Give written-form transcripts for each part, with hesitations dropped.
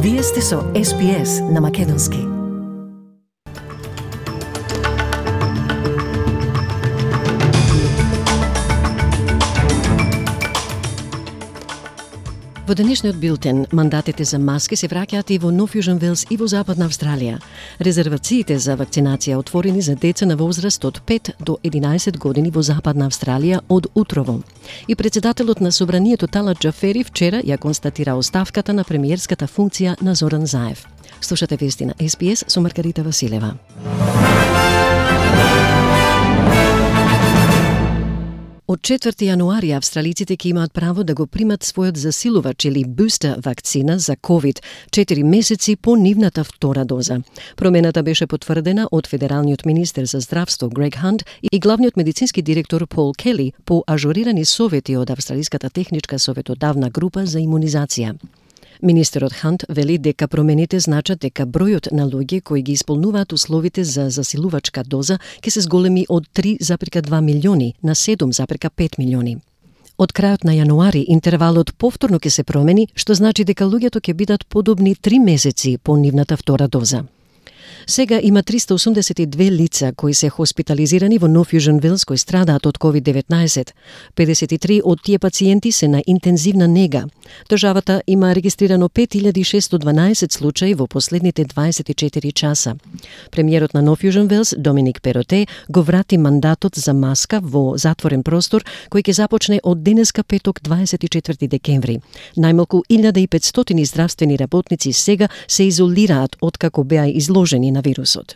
Вие сте со SPS на Македонски. Во денешниот билтен, мандатите за маски се враќаат и во Нов Јужен Велс и во Западна Австралија. Резервациите за вакцинација отворени за деца на возраст од 5 до 11 години во Западна Австралија од утрово. И председателот на Собранието Талат Џафери вчера ја констатира оставката на премиерската функција на Зоран Заев. Слушате вести на SPS со Маргарита Василева. Од 4 јануари австралиците ќе имаат право да го примат својот засилувач или бустер вакцина за COVID 4 месеци по нивната втора доза. Промената беше потврдена од федералниот министер за здравство Грег Хант и главниот медицински директор Пол Кели по ажурирани совети од Австралиската техничка советодавна група за имунизација. Министерот Хант вели дека промените значат дека бројот на луѓе кои ги исполнуваат условите за засилувачка доза ќе се зголеми од 3,2 милиони на 7,5 милиони. Од крајот на јануари интервалот повторно ќе се промени, што значи дека луѓето ќе бидат подобни 3 месеци по нивната втора доза. Сега има 382 лица кои се хоспитализирани во Нов Јужен Велс кои страдаат од COVID-19. 53 од тие пациенти се на интензивна нега. Државата има регистрирано 5612 случаи во последните 24 часа. Премиерот на Нов Јужен Велс, Доминик Пероте, го врати мандатот за маска во затворен простор кој ќе започне од денеска петок 24 декември. Најмалку 1500 здравствени работници сега се изолираат откако беа изложени на вирусот.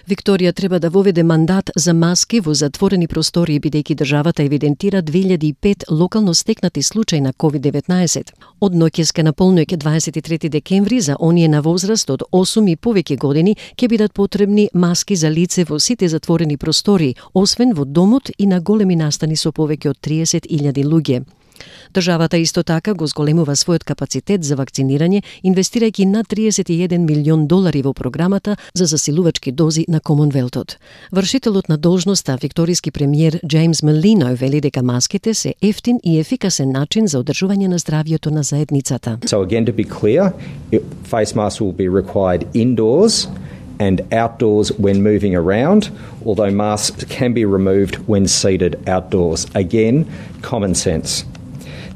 Викторија треба да воведе мандат за маски во затворени простори бидејќи државата евидентира 2005 локално стекнати случаи на COVID-19. Од ноќеска на полноќ 23 декември за оние на возраст од 8 и повеќе години ќе бидат потребни маски за лице во сите затворени простори, освен во домот и на големи настани со повеќе од 30.000 луѓе. Државата исто така го зголемува својот капацитет за вакцинирање, инвестирајќи на $31 милион во програмата за засилувачки дози на Комонвелтот. Вршителот на должноста, викториски премиер Джеймс Мелино, вели дека маските се ефтин и ефикасен начин за одржување на здравјето на заедницата. So again, to be clear, face masks will be required indoors and outdoors when moving around, although masks can be removed when seated outdoors. Again, common sense.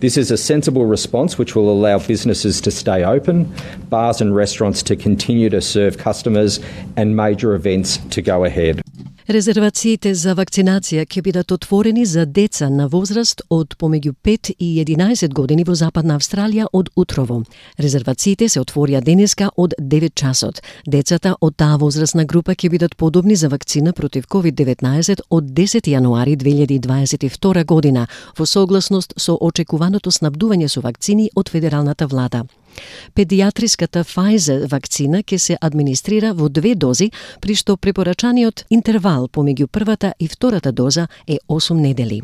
This is a sensible response which will allow businesses to stay open, bars and restaurants to continue to serve customers, and major events to go ahead. Резервациите за вакцинација ќе бидат отворени за деца на возраст од помеѓу 5 и 11 години во Западна Австралија од утрово. Резервациите се отворија денеска од 9 часот. Децата од таа возрастна група ќе бидат подобни за вакцина против COVID-19 од 10 јануари 2022 година, во согласност со очекуваното снабдување со вакцини од федералната влада. Педиатриската Pfizer вакцина ќе се администрира во 2 дози, при што препорачаниот интервал помеѓу првата и втората доза е 8 недели.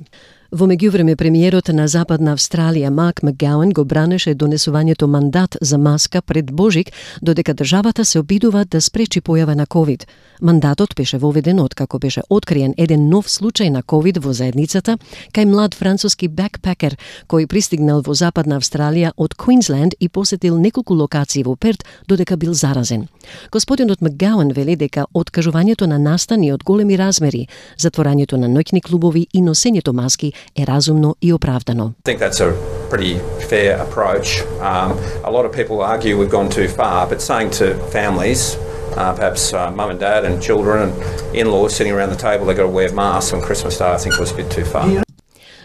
Во меѓувреме премиерот на Западна Австралија Марк Макгауан го бранеше донесувањето мандат за маска пред Божик, додека државата се обидува да спречи појава на COVID. Мандатот беше воведен откако беше откриен еден нов случај на COVID во заедницата кај млад француски бекпекер кој пристигнал во Западна Австралија од Квинсленд и посетил неколку локации во Перт додека бил заразен. Господинот Макгауан вели дека откажувањето на настани од големи размери, затворањето на ноќни клубови и носењето маски е разумно и оправдано. I think that's a pretty fair approach. A lot of people argue we've gone too far, but saying to families, perhaps mum and dad and children and in-laws sitting around the table, they've got to wear masks on Christmas Day, I think was a bit too far.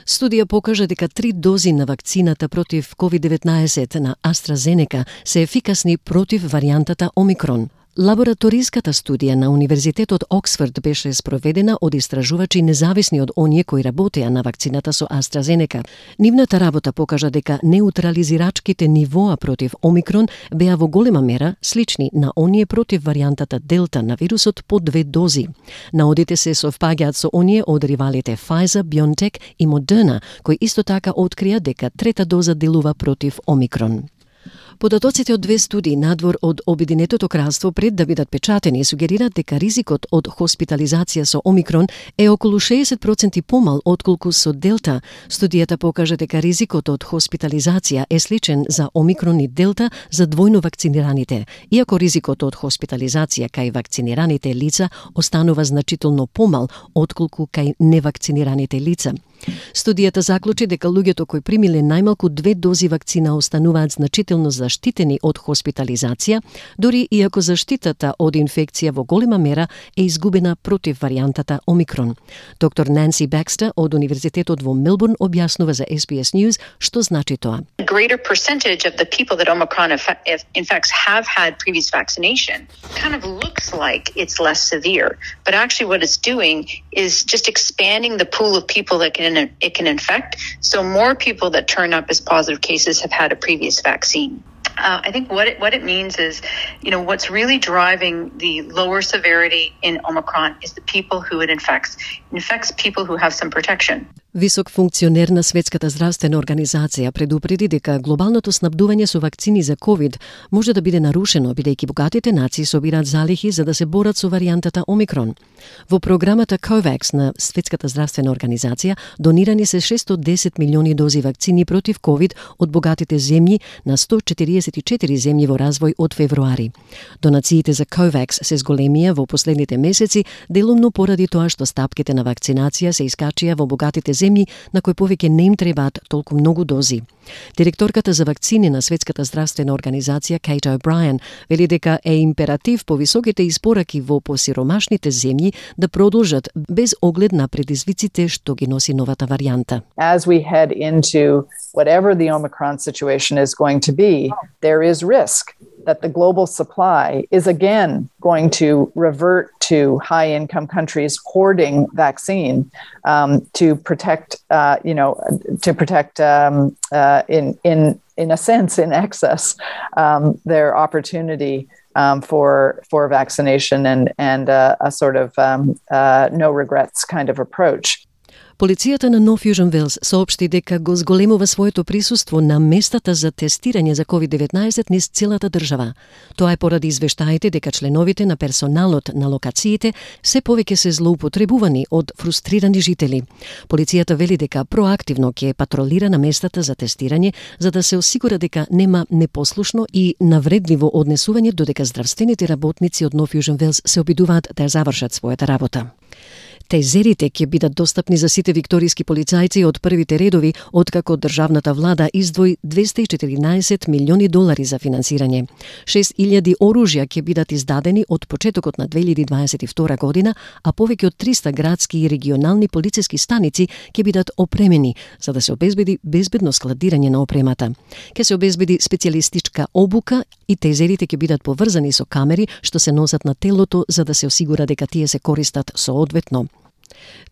Студија покажа дека 3 дози на вакцината против COVID-19 на AstraZeneca се ефикасни против варијантата Омикрон. Лабораториската студија на Универзитетот Оксфорд беше спроведена од истражувачи независни од оние кои работеа на вакцината со AstraZeneca. Нивната работа покажа дека неутрализирачките нивоа против Омикрон беа во голема мера слични на оние против варијантата Делта на вирусот по 2 дози. Наодите се совпаѓаат со оние од ривалите Pfizer, BioNTech и Moderna, кои исто така открија дека трета доза делува против Омикрон. Податоците од две студии надвор од Обединетото кралство пред да бидат печатени сугерираат дека ризикот од хоспитализација со Омикрон е околу 60% помал отколку со Делта. Студијата покажа дека ризикот од хоспитализација е сличен за Омикрон и Делта за двојно вакцинираните, иако ризикот од хоспитализација кај вакцинираните лица останува значително помал отколку кај невакцинираните лица. Студијата заклучи дека луѓето кои примиле најмалку 2 дози вакцина остануваат значително заштитени од хоспитализација, дури иако заштитата од инфекција во голема мера е изгубена против варијантата Омикрон. Доктор Нанси Бакстер од Универзитетот во Мелбурн објаснува за SBS News што значи тоа. A greater percentage of the people that Omicron infects have had previous vaccination. Kind of looks like it's less severe, but actually what it's doing is just expanding the pool of people that it can infect. So more people that turn up as positive cases have had a previous vaccine. I think what it means is, what's really driving the lower severity in Omicron is the people who it infects. It infects people who have some protection. Висок функционер на Светската здравствена организација предупреди дека глобалното снабдување со вакцини за COVID може да биде нарушено, бидејќи богатите нации собираат залихи за да се борат со варијантата Омикрон. Во програмата COVAX на Светската здравствена организација донирани се 610 милиони дози вакцини против COVID од богатите земји на 144 земји во развој од февруари. Донациите за COVAX се зголемија во последните месеци, делумно поради тоа што стапките на вакцинација се искачија во богатите земји на кои повеќе не им требаат толку многу дози. Директорката за вакцини на Светската здравствена организација Кейт О'Брајен вели дека е императив по високите испораки во посиромашните земји да продолжат без оглед на предизвиците што ги носи новата варијанта. As we head into whatever the Omicron situation is going to be, there is risk that the global supply is again going to revert to high-income countries hoarding vaccine to protect, in a sense, in excess, their opportunity for vaccination and a sort of no regrets kind of approach. Полицијата на Нов Јужен Велс соопшти дека го зголемува своето присуство на местата за тестирање за COVID-19 низ целата држава. Тоа е поради извештаите дека членовите на персоналот на локациите се повеќе се злоупотребувани од фрустрирани жители. Полицијата вели дека проактивно ќе патролира на местата за тестирање за да се осигура дека нема непослушно и навредливо однесување додека здравствените работници од Нов Јужен Велс се обидуваат да завршат својата работа. Тезерите ќе бидат достапни за сите викторијски полицајци од првите редови, откако државната влада издвои $214 милиони за финансирање. 6.000 оружја ќе бидат издадени од почетокот на 2022 година, а повеќе од 300 градски и регионални полициски станици ќе бидат опремени за да се обезбеди безбедно складирање на опремата. Ќе се обезбеди специјалистичка обука и тезерите ќе бидат поврзани со камери што се носат на телото за да се осигура дека тие се користат соодветно.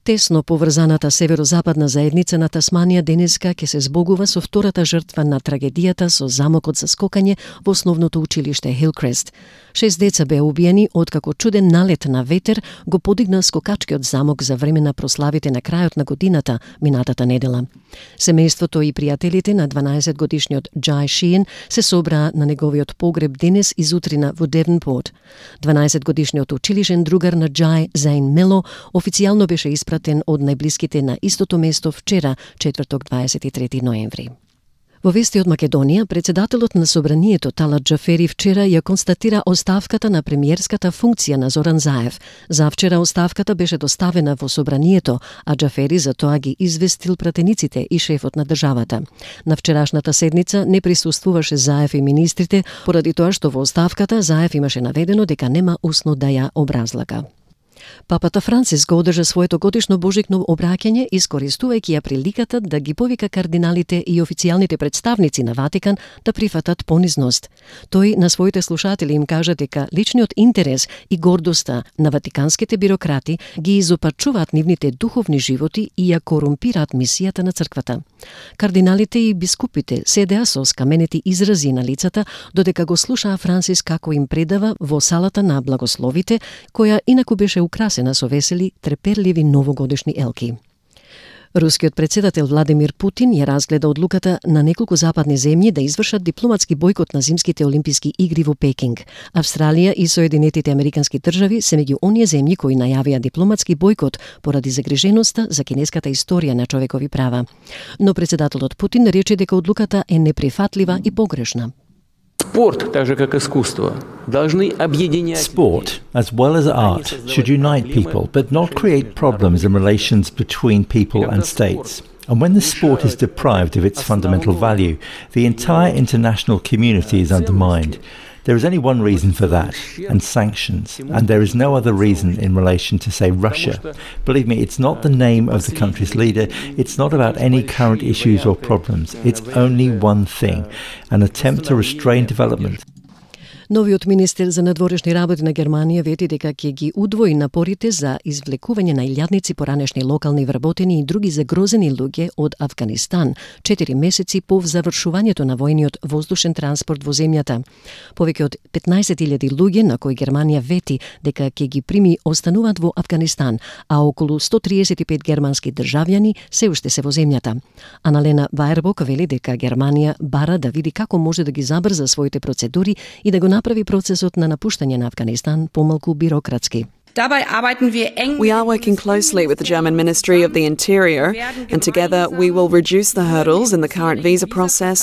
Тесно поврзаната северозападна заедница на Тасманија денеска ќе се збогува со втората жртва на трагедијата со замокот за скокање во основното училиште Хилкрест. 6 деца беа убиени откако чуден налет на ветер го подигна скокачкиот замок за време на прославите на крајот на годината минатата недела. Семејството и пријателите на 12-годишниот Джај Шиен се собраа на неговиот погреб денес изутрина во Девенпорт. 12-годишниот училишен другар на Джај, Зейн Мело, официјално беше испратен од најблиските на истото место вчера, четврток 23 ноември. Во вести од Македонија, председателот на Собранието Талат Џафери вчера ја констатира оставката на премиерската функција на Зоран Заев. Завчера оставката беше доставена во Собранието, а Џафери за тоа ги известил пратениците и шефот на државата. На вчерашната седница не присуствуваше Заев и министрите, поради тоа што во оставката Заев имаше наведено дека нема усно да ја образлага. Папата Франциск го одржа своето годишно божикно обраќање, искористувајќи ја приликата да ги повика кардиналите и официјалните представници на Ватикан да прифатат понизност. Тој на своите слушатели им кажа дека личниот интерес и гордоста на ватиканските бирократи ги изопачуваат нивните духовни животи и ја корумпираат мисијата на црквата. Кардиналите и бискупите седеа со скаменети изрази на лицата, додека го слушаа Франциск како им предава во салата на благословите, која инаку беше украсена со весели, треперливи новогодишни елки. Рускиот председател Владимир Путин ја разгледа одлуката на неколку западни земји да извршат дипломатски бојкот на зимските олимписки игри во Пекинг. Австралија и Соединетите американски држави се меѓу оние земји кои најавија дипломатски бојкот поради загриженоста за кинеската историја на човекови права. Но председателот Путин рече дека одлуката е неприфатлива и погрешна. Sport, as well as art, should unite people, but not create problems in relations between people and states. And when the sport is deprived of its fundamental value, the entire international community is undermined. There is only one reason for that, and sanctions. And there is no other reason in relation to, say, Russia. Believe me, it's not the name of the country's leader. It's not about any current issues or problems. It's only one thing, an attempt to restrain development. Новиот министер за надворешни работи на Германија вети дека ќе ги удвои напорите за извлекување на илјадници поранешни локални вработени и други загрозени луѓе од Авганистан, 4 месеци по завршувањето на војниот воздушен транспорт во земјата. Повеќе од 15.000 луѓе на кои Германија вети дека ќе ги прими остануваат во Авганистан, а околу 135 германски државјани се уште се во земјата. Аналена Ваербок вели дека Германија бара да види како може да ги забрза своите процедури и да го направи процесот на напуштање на Авганистан помалку бирократски. We are working closely with the German Ministry of the Interior, and together we will reduce the hurdles in the current visa process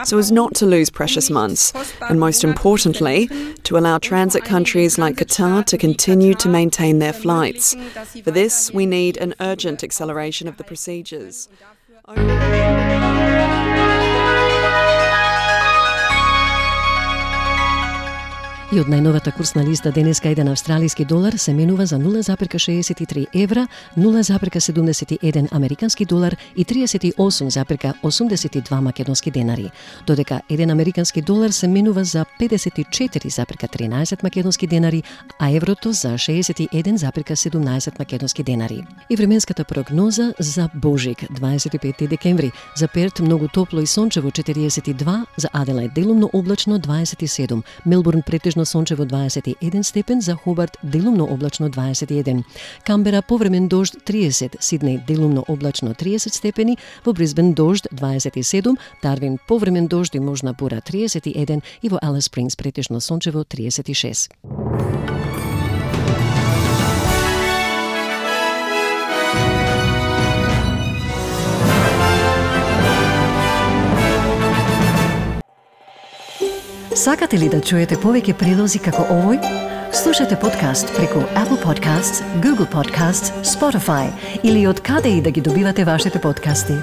so as not to lose precious months, and most importantly, to allow transit countries like Qatar to continue to maintain their flights. For this, we need an urgent acceleration of the procedures. И од најновата курсна листа денеска еден австралиски долар се менува за 0,63 евра, 0,71 американски долар и 38,82 македонски денари, додека еден американски долар се менува за 54,13 македонски денари, а еврото за 61,17 македонски денари. И временската прогноза за Божик, 25 декември, за Перт многу топло и сончево 42, за Аделаид делумно облачно 27, Мелбурн претежно сончево 21 степен, за Хобарт делумно облачно 21, Камбера повремен дожд 30, Сиднеј делумно облачно 30 степени, во Брисбен дожд 27, Дарвин повремен дожд и можна бура 31 и во Алис Спрингс претежно сончево 36. Сакате ли да чуете повеќе прилози како овој? Слушате подкаст преку Apple Podcasts, Google Podcasts, Spotify или од каде и да ги добивате вашите подкасти.